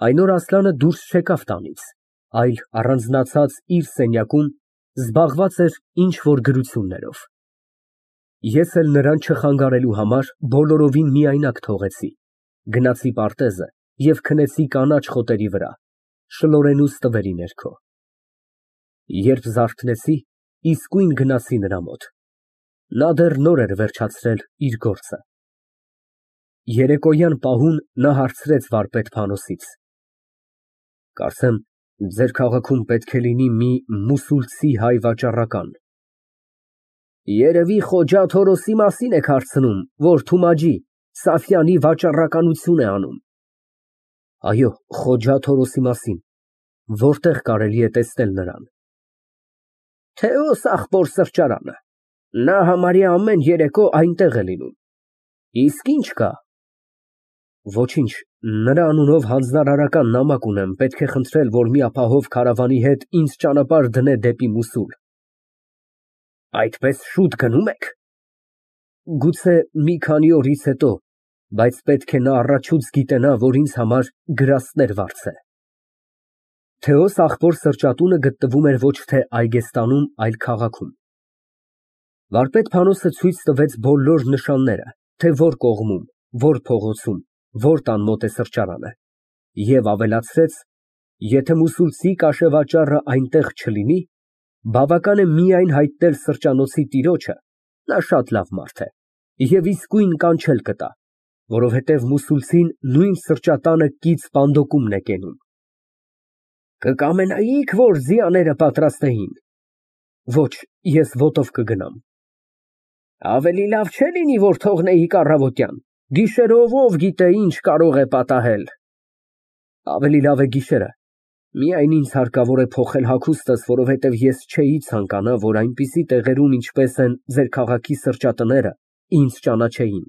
Այն օր Ասլանը դուրս չեկավ տանից, այլ առանձնացած իր սենյակում զբաղված էր ինչ֊որ գրություններով։ Ես էլ նրան չխանգարելու համար բոլորովին միայնակ թողեցի, գնացի պարտեզը և քնեցի կանաչ խոտերի վրա, շլորենու ստվերի ներքո։ Երբ զարթնեցի, իսկույն գնացի նրա մոտ։ Նա դեռ նոր էր վերջացրել իր գործը։ Երեկոյան պահուն նա հարցրեց վարպետ Փանոսից. «Կարծեմ, ձեր քաղաքում պետք է լինի մի մուսուլցի հայ վաճառական»։ Երևի Խոջա Թորոսի մասին եք հարցնում, որ Թումաջի Սաֆյանի վաճառականություն է անում։ Այո, Խոջա Թորոսի մասին։ Որտեղ կարելի է տեսնել նրան։ Թեոս ախպոր սրճարանը։ Նա համարյա ամեն երեկո այնտեղ է լինում։ Իսկ ինչ կա։ Ոչինչ, նրա անունով հանձնարարական նամակ ունեմ, պետք է խնդրել, որ մի ապահով քարավանի հետ ինձ ճանապարհ դնե դեպի Մուսուլ։ Այդպես շուտ գնում եք։ Գուցե մի քանի օրից հետո, բայց պետք է նա առաջուց գիտենա, որ ինձ համար գրաստներ վարձե։ Թեոս ախպոր սրճատունը գտնվում էր ոչ թե Այգեստանում, այլ քաղաքում։ Վարպետ Փանոսը ցույց տվեց բոլոր նշանները, թե որ կողմում, որ փողոցում, որ տան մոտ է սրճարանը, և ավելացրեց, եթե մուսուլցի կաշեվաճառը այնտեղ չլինի, բավական է միայն հայտնել սրճանոցի տիրոջը, նա շատ լավ մարդ է, և իսկույն կանչել կտա, որովհետև մուսուլցին նույն սրճատանը կից պանդոկումն է կենում։ Կկամենայի՞ք, որ ձիաները պատրաստեին։ Ոչ, ես ոտով կգնամ։ Ավելի լավ չէ՞ լինի, որ թողնեիք առավոտյան, գիշերով ով գիտե ինչ կարող է պատահել։ Ավելի լավ է գիշերը, միայն ինձ հարկավոր է փոխել հագուստս, որովհետև ես չէի ցանկանա, որ այնպիսի տեղերում, ինչպես են ձեր քաղաքի սրճատները, ինձ ճանաչեին։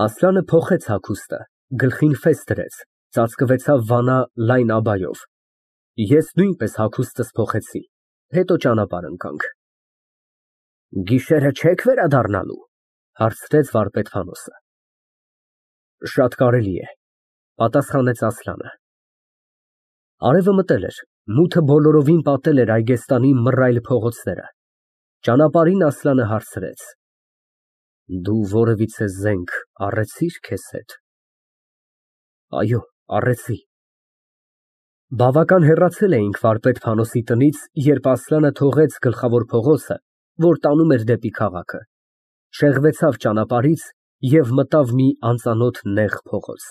Ասլանը փոխեց հագուստը, գլխին ֆես դրեց, ծածկվեցավ վանա լայն աբայով։ Ես նույնպես հագուստս փոխեցի, հետո ճանապարհ ընկանք։ Գիշերը չե՞ք վերադառնալու, հարցրեց վարպետ Փանոսը։ Շատ կարելի է, պատասխանեց Ասլանը։ Արևը մտել էր, մութը բոլորովին պատել էր Այգեստանի մռայլ փողոցները։ Ճանապարհին Ասլանը հարցրեց. Դու որևիցե զենք առեցի՞ր քեզ հետ։ Այո, առեցի։ Բավական հեռացել էինք վարպետ Փանոսի տնից, երբ Ասլանը թողեց գլխավոր փողոցը, որ տանում էր դեպի քաղաքը, շեղվեցավ ճանապարհից և մտավ մի անծանոթ նեղ փողոց։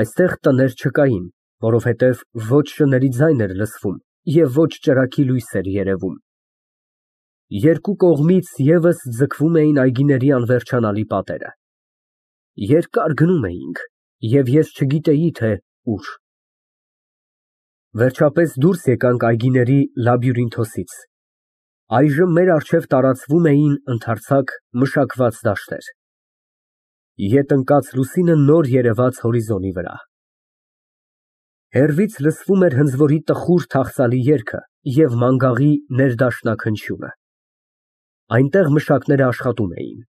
Այստեղ տներ չկային, որովհետև ոչ շների ձայն էր լսվում և ոչ ճրագի լույս էր երևում։ Երկու կողմից ևս ձգվում էին այգիների անվերջանալի պատերը։ Երկար գնում էինք, և ես չգիտեի, թե ուր։ Վերջապես դուրս եկանք այգիների լաբյուրինթոսից։ Այժմ մեր առջև տարածվում էին ընդարձակ մշակված դաշտեր։ Ետ ընկած լուսինը նոր երևաց հորիզոնի վրա։ Հեռվից լսվում էր հնձորի տխուր թախծալի երգը և մանգաղի ներդաշնակ հնչյունը։ Այնտեղ մշակները աշխատում էին։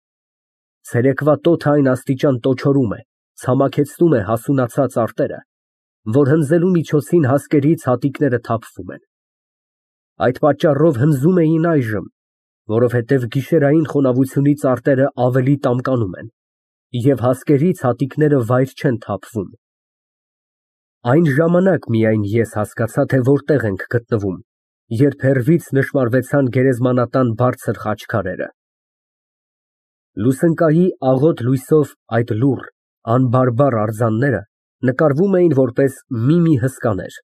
Ցերեկվա տոթը այն աստիճան տոչորում է, ցամաքեցնում է հասունացած արտերը, որ հնձելու միջոցին հասկերից հատիկները թափվում են։ Այդ պատճառով հնձում էին այժմ, որովհետև գիշերային խոնավությունից արտերը ավելի տամկանում են, և հասկերից հատիկները վայր չեն թափվում։ Այն ժամանակ միայն ես հասկացա, թե որտեղ ենք գտնվում, երբ հեռվից նշմարվեցան գերեզմանատան բարձր խաչքարերը։ Լուսնկայի աղոտ լույսով այդ լուռ, անբարբար արձանները նկարվում էին որպես մի հսկաներ,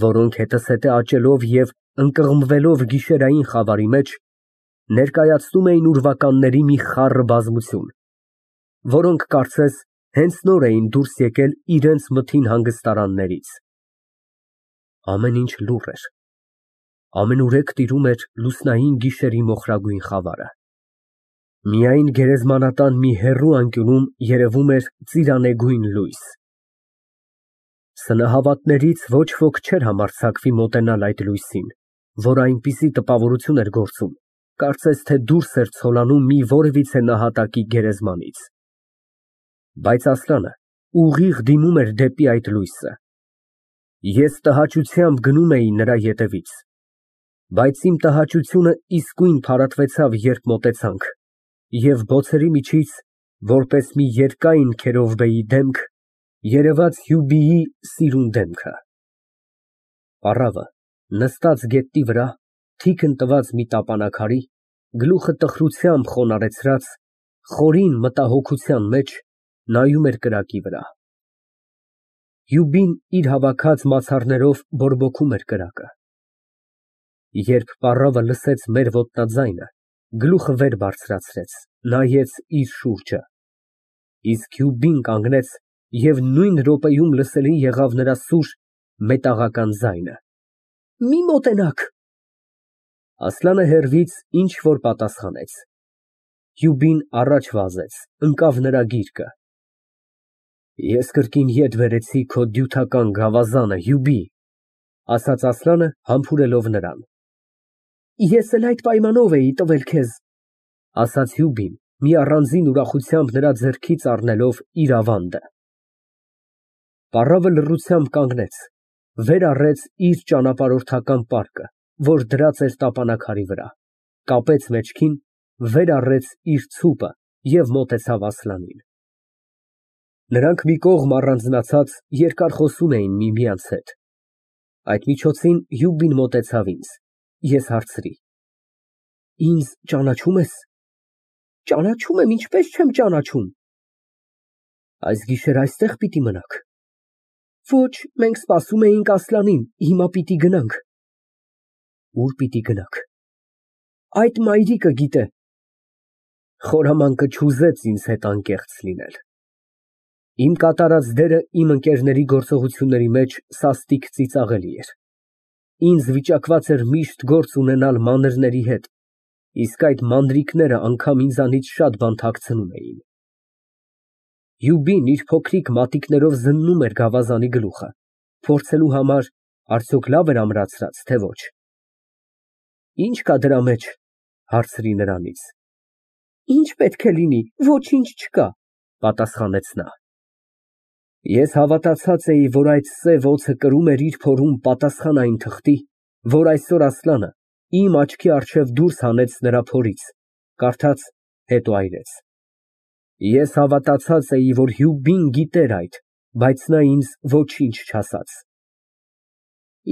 որոնք հետզհետե աճելով և ընկղմվելով գիշերային խավարի մեջ, ներկայացնում էին ուրվականների մի խառը բազմություն, որոնք կարծես հենց նոր էին դուրս եկել իրենց մթին հանգստարաններից։ Ամեն ինչ լուռ էր, ամենուրեք տիրում էր լուսնային գիշերի մոխրագույն խավարը։ Միայն գերեզմանատան մի հեռու անկյունում երևում էր ծիրանեգույն լույս։ Սնահավատներից ոչ ոք չէր համարձակվի մոտենալ այդ լույսին, որ այնպիսի տպավորություն էր գործում, կարծես թե դուրս էր ցոլանում մի որևիցե նահատակի գերեզմանից։ Բայց Ասլանը, ուղիղ դիմում էր դեպի այդ լույսը։ Ես տհաճությամբ գնում էի նրա ետևից, բայց իմ տհաճությունը իսկույն փարատվեցավ, երբ մոտեցանք, և բոցերի միջից, որպես մի երկայն քերովբեի դեմք, երևաց Հյուբիի սիրուն դեմքը։ Պառավը, նստած գետնի վրա, թիկն տված մի տապանաքարի, գլուխը տխրությամբ խոնարհեցրած, խորին մտահոգության մեջ նայում էր կրակի վրա։ Հյուբին իր հավաքած մացառներով բորբոքում էր կրակը։ Երբ պառավը լսեց մեր ոտնաձայնը, գլուխը վեր բարձրացրեց, նայեց իր շուրջը, իսկ Հյուբին կանգնեց և նույն րոպեում լսելի եղավ նրա սուր, մետաղական ձայնը. «Մի մոտենաք»։ Ասլանը հեռվից ինչ֊որ պատասխանեց։ Հյուբին առաջ վազեց, ընկավ նրա գիրկը։ «Ես կրկին ետ բերեցի քո դյութական գավազանը, Հյուբի», ասաց Ասլանը, համբուրելով նրան։ «Ես էլ այդ պայմանով էի տվել քեզ», ասաց Հյուբին, մի առանձին ուրախությամբ նրա ձեռքից առնելով իր ավանդը։ Պառավը լռությամբ կանգնեց, վեր առեց իր ճանապարհորդական պարկը, որ դրած էր տապանաքարի վրա, կապեց մեջքին, վեր առեց իր ցուպը և մոտեցավ Ասլանին։ Նրանք մի կողմ առանձնացած երկար խոսում էին միմյանց հետ։ Այդ միջոցին Հյուբին մոտեցավ ինձ, ես հարցրի. «Ինձ ճանաչո՞ւմ ես»։ «Ճանաչում եմ, ինչպես չեմ ճանաչում»։ «Այս գիշեր այստեղ պիտի մնաք»։ «Ոչ, մենք սպասում էինք Ասլանին, հիմա պիտի գնանք»։ «Ուր պիտի գնաք»։ «Այդ մայրիկը գիտե»։ Խորամանկը չուզեց ինձ հետ անկեղծ լինել։ Իմ կատարած դերը իմ ընկերների գործողությունների մեջ սաստիկ ծիծաղելի էր։ Ինձ վիճակված էր միշտ գործ ունենալ մանրների հետ, իսկ այդ մանրիկները անգամ ինձանից շատ բան թաքցնում էին։ Հյուբին իր փոքրիկ մատիկներով զննում էր գավազանի գլուխը, փորձելու համար արդյոք լավ էր ամրացրած, թե ոչ։ «Ի՞նչ կա դրա մեջ», հարցրի նրանից։ «Ինչ պետք է լինի, ոչինչ չկա», պատասխանեց նա։ Ես հավատացած էի, որ այդ սև օձը կրում էր իր փորում պատասխան այն թղթի, որ այսօր Ասլանը իմ աչքի առջև դուրս հանեց նրա փորից, կարդաց, հետո այրեց։ Ես հավատացած էի, որ Հյուբին գիտեր այդ, բայց նա ինձ ոչինչ չասաց։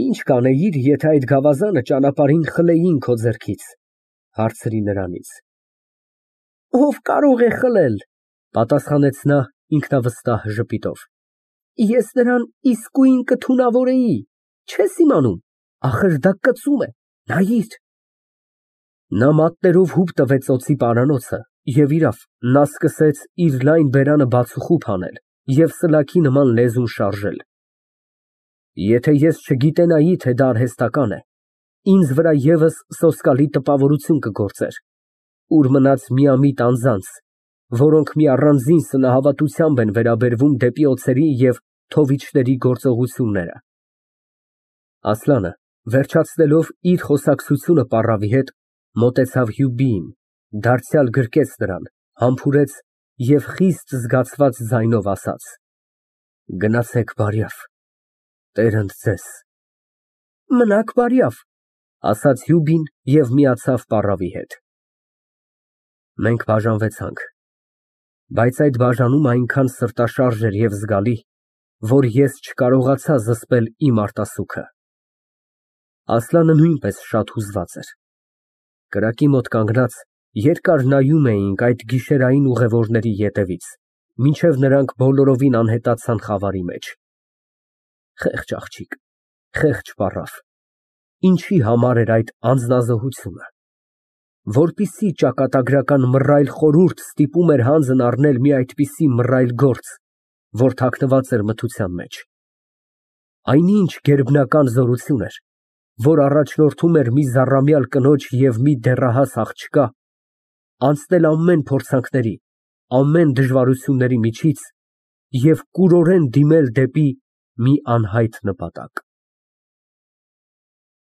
«Ինչ կանեիր, եթե այդ գավազանը ճանապարհին խլեին քո ձեռքից», հարցրի նրանից։ «Ով կարող է խլել», պատասխանեց նա ինքնավստահ ժպիտով։ «Ես նրան իսկույն կթունավորեի, չես իմանում, ախր դա կծում է, նայիր»։ Նա մատներով հուպ տվեց օձի պարանոցը, և իրավ, նա սկսեց իր լայն բերանը բացուխուփ անել և սլաքի նման լեզուն շարժել։ Եթե ես չգիտենայի, թե դա արհեստական է, ինձ վրա ևս սոսկալի տպավորություն կգործեր, ուր մնաց միամիտ անձանց, որոնք մի առանձին սնահավատությամբ են վերաբերվում դեպի օձերի և թովիչների գործողությունները։ Ասլանը, վերջացնելով իր խոսակցությունը պառավի հետ, մոտեցավ Հյուբիին, դարձյալ գրկեց նրան, համբուրեց և խիստ զգացված ձայնով ասաց. «Գնացեք բարյավ, տերն ձեզ»։ «Մնաք բարյավ», ասաց Հյուբին և միացավ պառավի հետ։ Մենք բաժանվեցանք, բայց այդ բաժանումը այնքան սրտաշարժ էր և զգալի, որ ես չկարողացա զսպել իմ արտասուքը։ Ասլանը նույնպես շատ հուզված էր։ Կրակի մոտ կանգնած, երկար նայում էինք այդ գիշերային ուղևորների ետևից, մինչև նրանք բոլորովին անհետացան խավարի մեջ։ Խեղճ աղջիկ, խեղճ պառավ, ինչի համար էր այդ անձնազոհությունը։ Որպիսի ճակատագրական մռայլ խորհուրդ ստիպում էր հանձն առնել մի այդպիսի մռայլ գործ, որ թաքնված էր մթության մեջ։ Այնինչ գերբնական զորություն էր, որ առաջնորդում էր մի զառամյալ կնոջ և մի դեռահաս աղջկա անցնել ամեն փորձանքների, ամեն դժվարությունների միջից և կուրորեն դիմել դեպի մի անհայտ նպատակ։